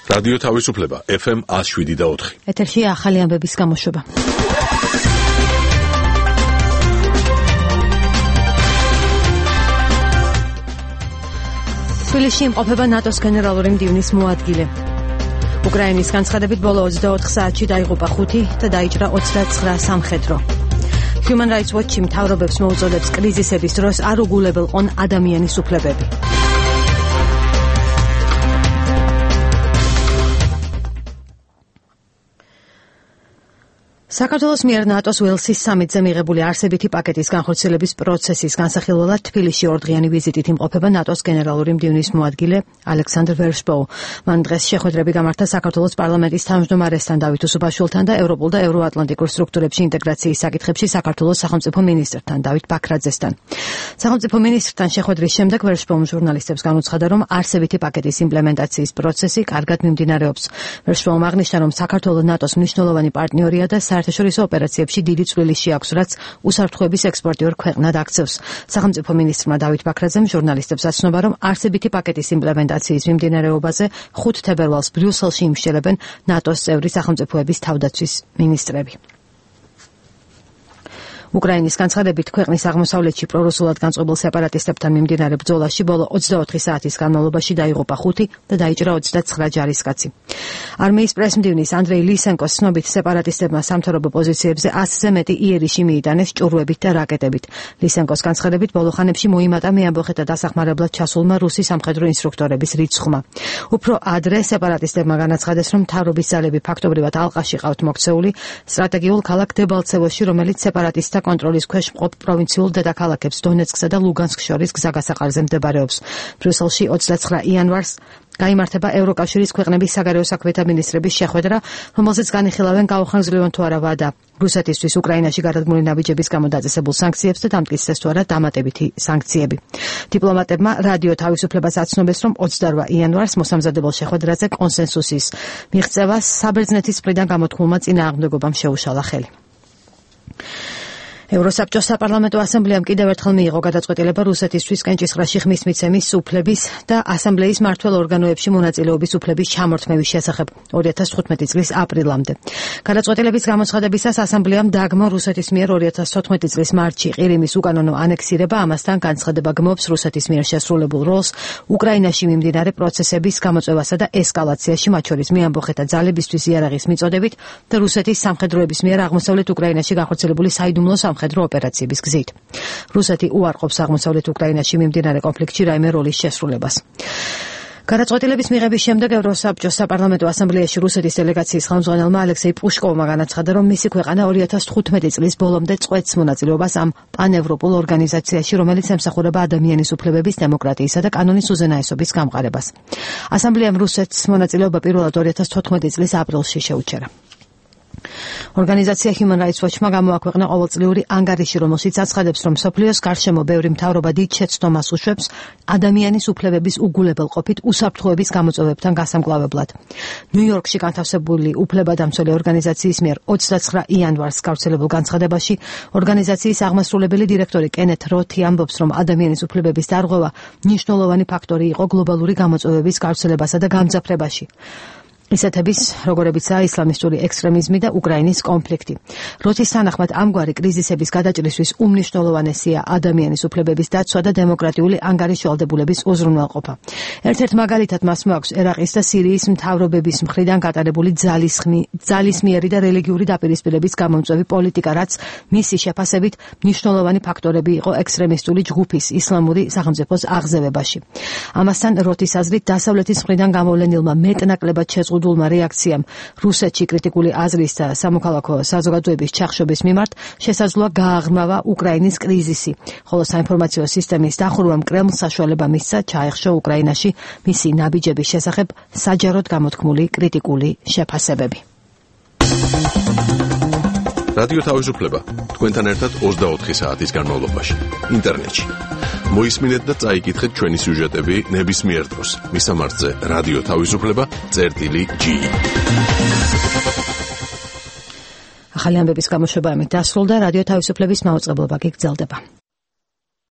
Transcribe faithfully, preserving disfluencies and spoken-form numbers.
რადიო თავისუფლება ეფ ემ one oh seven და four. ეთერში ახალი ამბების გამოშვება. თბილისში იმყოფება ნატოს გენერალური მდივნის მოადგილე. უკრაინის განცხადებით ბოლო ოცდაოთხ საათში დაიღუპა ხუთი და დაიჭრა ოცდაცხრა სამხედრო. Human Rights Watch-ი მთავრობებს მოუწოდებს კრიზისების დროს არ უგულებელყონ ადამიანის უფლებები. საქართველოს მიერ ნატოს ველსის სამიტზე მიღებული არსებითი პაკეტის განხორციელების პროცესის განსახილველად თბილისში ორდღიანი ვიზიტით იმყოფება ნატოს გენერალური მდივნის მოადგილე ალექსანდრ ვერშბოუ. მან დღეს შეხვედრები გამართა საქართველოს პარლამენტის თავმჯდომარესთან დავით უსუბაშვილთან და ევროპულ და ევროატლანტიკურ სტრუქტურებში ინტეგრაციის საკითხებში საქართველოს სახელმწიფო მინისტრთან დავით ბაქრაძესთან. სახელმწიფო მინისტრთან შეხვედრის შემდეგ ვერშბოუმ ჟურნალისტებს განუცხადა, რომ არსებითი პაკეტის იმპლემენტაციის პროცესი კარგად მიმდინარეობს. ვერშბოუმ აღნიშნა, რომ საქართველო ნატოს მნიშვნელოვანი პარტნიორია და საერთაშორისო ოპერაციებში დიდი წვლილი შეაქვს, რაც უსაფრთხოების ექსპორტიორ ქვეყნად აქცევს. სახელმწიფო მინისტრმა დავით ბაქრაძემ ჟურნალისტებს აცნობა, რომ არსებითი პაკეტის იმპლემენტაციის მიმდინარეობაზე ხუთ თებერვალს ბრიუსელში იმშელებენ ნატოს წევრი სახელმწიფოების თავდაცვის მინისტრები. უკრაინის განცხადებით ქვეყნის აღმოსავლეთში პრორუსულად განწყობილ სეპარატისტებთან მიმდინარე ბრძოლაში ბოლო ოცდაოთხი საათის განმავლობაში დაიღუპა ხუთი და დაიჭრა ოცდაცხრა ჯარისკაცი. არმიის პრესმდივნის ანდრეი ლისენკოს ცნობით სეპარატისტებმა სამთავრობო პოზიციებზე ასზე მეტი იერიში მიიტანეს ჭურვებით და რაკეტებით. ლისენკოს განცხადებით ბოლო ხანებში მოიმატა მეამბოხეთა დასახმარებლად ჩასულმა რუსი სამხედრო ინსტრუქტორების რიცხვმა. უფრო ადრე სეპარატისტებმა განაცხადეს, რომ მთავრობის ძალები ფაქტობრივად ალყაში ყავთ მოქცეული სტრატეგიულ ქალაქ დებალცევოში, რომელიც სეპარატისტთა კონტროლის ქვეშ მყოფ პროვინციულ დედაქალაქებს დონეცკსა და ლუგანსკ შორის გზაგასაყარზე მდებარეობს. ბრიუსელში ოცდაცხრა იანვარს გაიმართება ევროკავშირის ქვეყნების საგარეო საქმეთა მინისტრების შეხვედრა, რომელზეც განიხილავენ გაუხარგზლებონ თუ არა ვადა რუსეთისთვის უკრაინაში გადადგმული ნაბიჯების გამო დაწესებულ სანქციებს და დამტკიცდეს თუ არა დამატებითი სანქციები. დიპლომატებმა რადიო თავისუფლებას აცნობეს, რომ ოცდარვა იანვარს მოსამზადებელ შეხვედრაზე კონსენსუსის მიღწევას საბერძნეთის მხრიდან გამოთქმულმა წინააღმდეგობამ შეუშალა ხელი. ევროსაბჭოს საპარლამენტო ასამბლეამ კიდევ ერთხელ მიიღო გადაწყვეტილება რუსეთისთვის კენჭისყრაში ხმის მიცემის უფლების და ასამბლეის მმართველ ორგანოებში მონაწილეობის უფლების ჩამორთმევის შესახებ ორი ათას თხუთმეტი წლის აპრილამდე. გადაწყვეტილების გამოცხადებისას ასამბლეამ დაგმო რუსეთის მიერ ორი ათას თოთხმეტი წლის მარტში ყირიმის უკანონო ანექსირება, ამასთან განცხადება გმობს რუსეთის მიერ შესრულებულ როლს უკრაინაში მიმდინარე პროცესების გამოწვევასა და ესკალაციაში, მათ შორის მეამბოხეთა ძალებისთვის იარაღის მიწოდებით და რუსეთის სამხედროების მიერ აღმოსავლეთ უკრაინაში განხორციელებული საიდუმლო სამხედრო ოპერაციების გზით. რუსეთი უარყოფს აღმოსავლეთ უკრაინაში მიმდინარე კონფლიქტში რაიმე როლის შესრულებას. გადაწყვეტილების მიღების შემდეგ ევროსაბჭოს საპარლამენტო ასამბლეაში რუსეთის დელეგაციის ხელმძღვანელმა ალექსეი პუშკოვმა განაცხადა, რომ მისი ქვეყანა ორი ათას თხუთმეტი წლის ბოლომდე წყვეტს მონაწილეობას ამ პანევროპულ ორგანიზაციაში, რომელიც ემსახურება ადამიანის უფლებების, დემოკრატიისა და კანონის უზენაესობის გამყარებას. ასამბლეამ რუსეთს მონაწილეობა პირველად ორი ათას თოთხმეტი წლის აპრილში შეუჩერა. ორგანიზაცია Human Rights Watch-მა გამოაქვეყნა ყოველწლიური ანგარიში, რომელშიც აცხადებს, რომ მსოფლიოს გარშემო ბევრი მთავრობა დიდ შეცდომას უშვებს ადამიანის უფლებების უგულებელყოფით უსაფრთხოების გამოწვევებთან გასამკლავებლად. ნიუ-იორკში განთავსებული უფლებადამცველი ორგანიზაციის მიერ ოცდაცხრა იანვარს გავრცელებულ განცხადებაში ორგანიზაციის აღმასრულებელი დირექტორი კენეთ როთი ამბობს, რომ ადამიანის უფლებების დარღვევა მნიშვნელოვანი ფაქტორი იყო გლობალური გამოწვევების გავრცელებასა და გამძაფრებაში. ისეთების, როგორებიცაა ისლამისტური ექსტრემიზმი და უკრაინის კონფლიქტი. როთის თანახმად ამგვარი კრიზისების გადაჭრისთვის უმნიშვნელოვანესია ადამიანის უფლებების დაცვა და დემოკრატიული ანგარიშვალდებულების უზრუნველყოფა. ერთ-ერთ მაგალითად მას მოაქვს ერაყის და სირიის მთავრობების მხრიდან გატარებული ძალისმიერი და რელიგიური დაპირისპირების გამომწვევი პოლიტიკა, რაც მისი შეფასებით მნიშვნელოვანი ფაქტორები იყო ექსტრემისტული ჯგუფის ისლამური სახელმწიფოს აღზევებაში. ამასთან როთის აზრით დასავლეთის მხრიდან გამოვლენილმა მეტნაკლებად შეზღუდულმა რეაქციამ რუსეთში კრიტიკული აზრის და სამოქალაქო საზოგადოების ჩახშობის მიმართ შესაძლოა გააღრმავა უკრაინის კრიზისი, ხოლო საინფორმაციო სისტემის დახურვამ კრემლს საშუალება მისცა ჩაეხშო უკრაინაში მისი ნაბიჯების შესახებ საჯაროდ გამოთქმული კრიტიკული შეფასებები. რადიო თავისუფლება თქვენთან ერთად ოცდაოთხი საათის განმავლობაში ინტერნეტში. მოისმინეთ და წაიკითხეთ ჩვენი სიუჟეტები ნებისმიერ დროს. მისამართზე რადიო თავისუფლება წერტილი ჯი. ახალი ამბების გამოშვება ამით დასრულდა. რადიო თავისუფლების მაუწყებლობა გაგრძელდება.